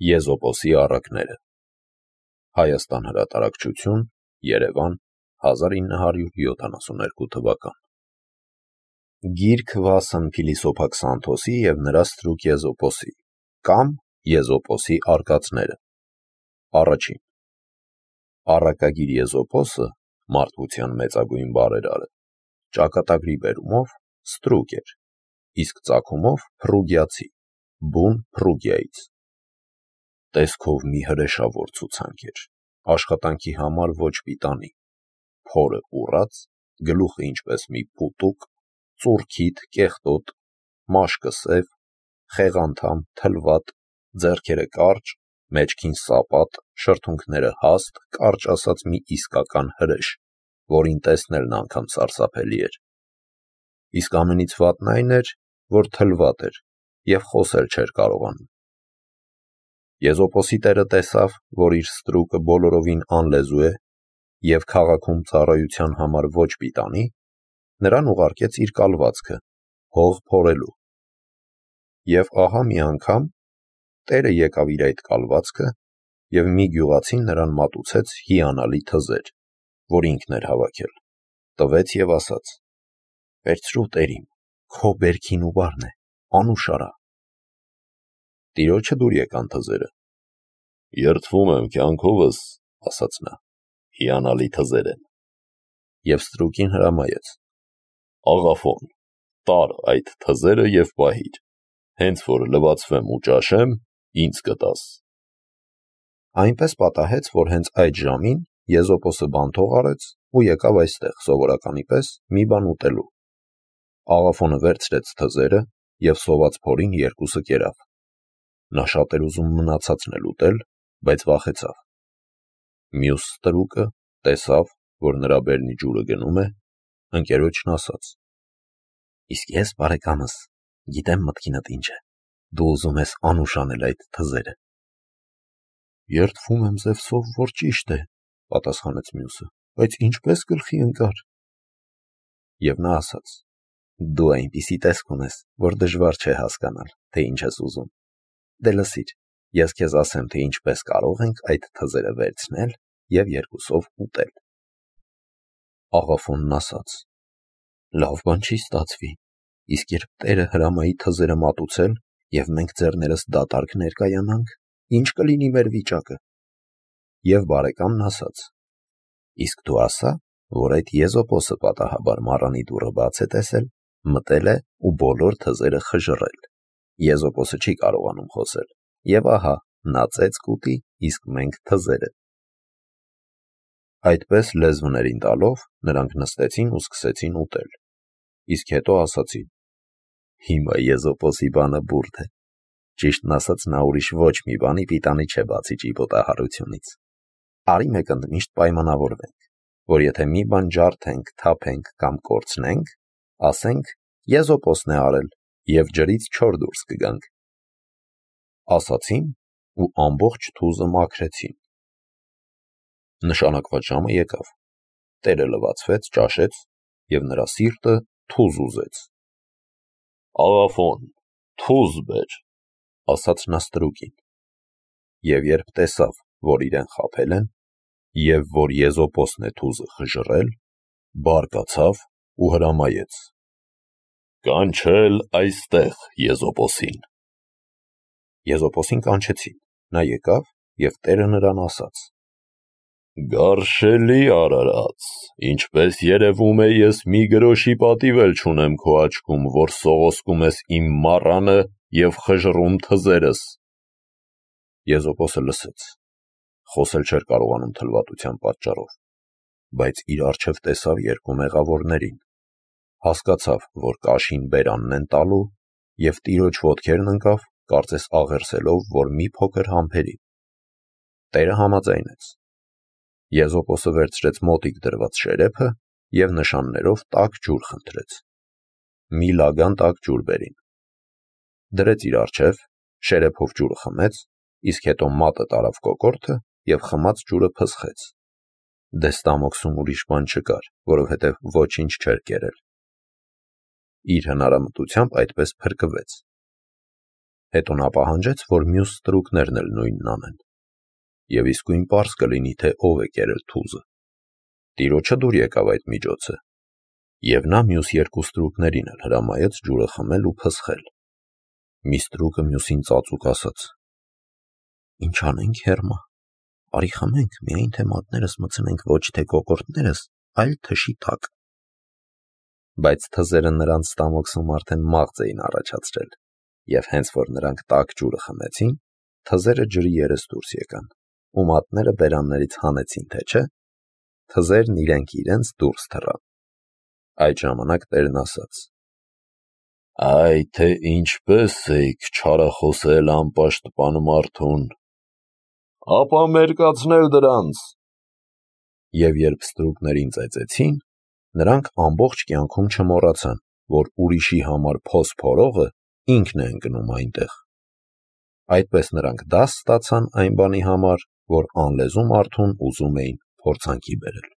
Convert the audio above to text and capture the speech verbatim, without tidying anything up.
Եզոպոսի առակները Հայաստան հրատարակչություն, Երևան, հազար ինը հարյուր յոթանասունհինգ թվական Գիրք Վասն Փիլիսոփա Քսանթոսի և նրա ստրուկ Եզոպոսի կամ Եզոպոսի արկածները Առաջին Առակագիր Եզոպոսը, մարդկության մեծագույն բարերարը, ճակատագրի բերումով ստրուկ էր, իսկ ծագումով փռուգիացի, բուն Փռուգիայից։ Տեսքով մի հրեշավոր ցուցանք էր, աշխատանքի համար ոչ պիտանի, փորը ուռած, գլուխը ինչպես մի փուտուկ, ծուռքիթ, կեղտոտ, մաշկը սև, խեղանդամ, թլվատ, ձեռքերը կարճ, մեջքին սապատ, շրթունքները հաստ, կարճ ասած մի իսկական հրեշ, որին տեսնելն անգամ սարսափելի էր։ Իսկ ամենից վատն այն էր, որ թլվատ էր և խոսել չէր կարողանում։ Եզոպոսի տերը տեսավ, որ իր ստրուկը բոլորովին անլեզու է և քաղաքում ծառայության համար ոչ պիտանի, նրան ուղարկեց իր կալվածքը, հող փորելու։ Եվ ահա մի անգամ տերը եկավ իր այդ կալվածքը և մի գյուղացին նրան մատուցեց հիանալի թզեր, որ ինքն էր հավաքել, տվեց և ասաց. «Վերցրու տերիմ, քո բերքին ու բարն է, անուշ արա»։ Տիրոջը դուր եկան թզերը։ «Երդվում եմ կյանքովս, ասաց նա, հիանալի թզեր են»։ Եվ ստրուկին հրամայեց. «Աղաֆոն, տար այդ թզերը և պահիր, հենց որ լվացվեմ ու ճաշեմ, ինձ կտաս»։ Այնպես պատահեց, որ հենց այդ ժամին Եզոպոսը բանթող արեց ու եկավ այստեղ սովորականի պես մի բան ուտելու։ Աղաֆոնը վերցրեց թզերը և սոված փորին երկուսը կերավ։ Նա շատ էր ուզում մնացածն էլ ուտել, բայց վախեցավ։ Մյուս ստրուկը տեսավ, որ նրա բերնի ջուրը գնում է, ընկերոջն ասաց. «Իսկ ես, բարեկամս, գիտեմ մտքինդ ինչ է, դու ուզում ես անուշ անել այդ թզերը»։ «Երդվում եմ Զևսով, որ ճիշտ է», պատասխանեց մյուսը, «բայց ինչպես գլխի ընկար»։ Եվ նա ասաց. «Դու այնպիսի տեսք ունես, որ դժվար չէ հասկանալ, թե ինչ ես ուզում։ Դե լսիր, ես քեզ ասեմ, թե ինչպես կարող ենք այդ թզերը վերցնել և երկուսով ուտել»։ Աղաֆոնն ասաց. «Լավ բան չի ստացվի, իսկ երբ տերը հրամայի թզերը մատուցել, և մենք ձեռներս դատարկ ներկայանանք, ի՞նչ կլինի մեր վիճակը»։ Եվ բարեկամն ասաց. «Իսկ դու ասա, որ այդ Եզոպոսը պատահաբար մառանի դուռը բաց է տեսել, մտել է ու բոլոր թզերը խժռել։ Եզոպոսը չի կարողանում խոսել, և ահա նա ծեծ կուտի, իսկ մենք թզերը»։ Այդպես լեզվներին տալով նրանք նստեցին ու սկսեցին ուտել, իսկ հետո ասացին. «Հիմա Եզոպոսի բանը բուրդ է, ճիշտն ասած նա ուրիշ ոչ մի բանի պիտանի չէ, բացի ճիպոտահարությունից։ Արի մեկ ընդմիշտ պայմանավորվենք, որ եթե մի բան ջարդենք, թափենք կամ կորցնենք, ասենք Եզոպոսն է արել և ջրից չոր դուրս կգանք»։ Ասացին ու ամբողջ թուզը մաքրեցին։ Նշանակված ժամը եկավ, տերը լվացվեց, ճաշեց և նրա սիրտը թուզ ուզեց։ «Աղաֆոն, թուզ բեր», ասաց նա ստրուկին։ Եվ երբ տեսավ, որ իրեն խաբել են, և որ Եզոպոսն է թուզը խժռել, բարկացավ ու հրամայեց. «Կանչել այստեղ Եզոպոսին»։ Եզոպոսին կանչեցին, նա եկավ և տերը նրան ասաց. «Գարշելի արարած, ինչպես երևում է, ես մի գրոշի պատիվ էլ չունեմ քո աչքում, որ սողոսկում ես իմ մառանը և խժռում թզերս»։ Եզոպոսը լսեց, խոսել չէր կարողանում թլվատության պատճառով, բայց իր առջև տեսավ երկու մեղավորներին, հասկացավ, որ կաշին բերանն են տալու, և տիրոջ ոտքերն ընկավ, կարծես աղերսելով, որ մի փոքր համբերի։ Տերը համաձայնեց։ Եզոպոսը վերցրեց մոտիկ դրված շերեփը և նշաններով տաք ջուր խնդրեց։ Մի լագան տաք ջուր բերին։ Դրեց իր առջև, շերեփով ջուրը խմեց, իսկ հետո մատը տարավ կոկորդը և խմած ջուրը փսխեց։ Դե ստամոքսում ուրիշ բան չկար, որովհետև ոչինչ չէր կերել։ Իր հնարամտությամբ այդպես փրկվեց։ Հետո նա պահանջեց, որ մյուս ստրուկներն էլ նույնն անեն։ Եվ իսկույն պարզ կլինի, թե ով է կերել թուզը։ Տիրոջը դուր եկավ այդ միջոցը, և նա մյուս երկու ստրուկներին էլ հրամայեց ջուրը խմել ու փսխել։ Մի ստրուկը մյուսին ծածուկ ասաց. «Ինչ անենք, Հերմա, արի խմենք, միայն թե մատներս մտցնենք ոչ թե կոկորդներս, այլ թշի տակ»։ Բայց թզերը նրանց ստամոքսում արդեն մաղձ էին առաջացրել, և հենց որ նրանք տաք ջուրը խմեցին, թզերը ջրի երես դուրս եկան, ու մատները բերաններից հանեցին, թե չէ, թզերն իրենք իրենց դուրս թռան։ Այդ ժամանակ տերն ասաց. «Այ թե ինչպես էիք չարախոսել անպաշտպան մարդուն, ապա մերկացնել դրանց»։ Եվ երբ ստրուկներին ծեծեցին, նրանք ամբողջ կյանքում չմոռացան, որ ուրիշի համար փոս փորողը ինքն է ընկնում այնտեղ։ Այդպես նրանք դաս ստացան այն բանի համար, որ անլեզու մարդուն ուզում էին փորձանքի բերել։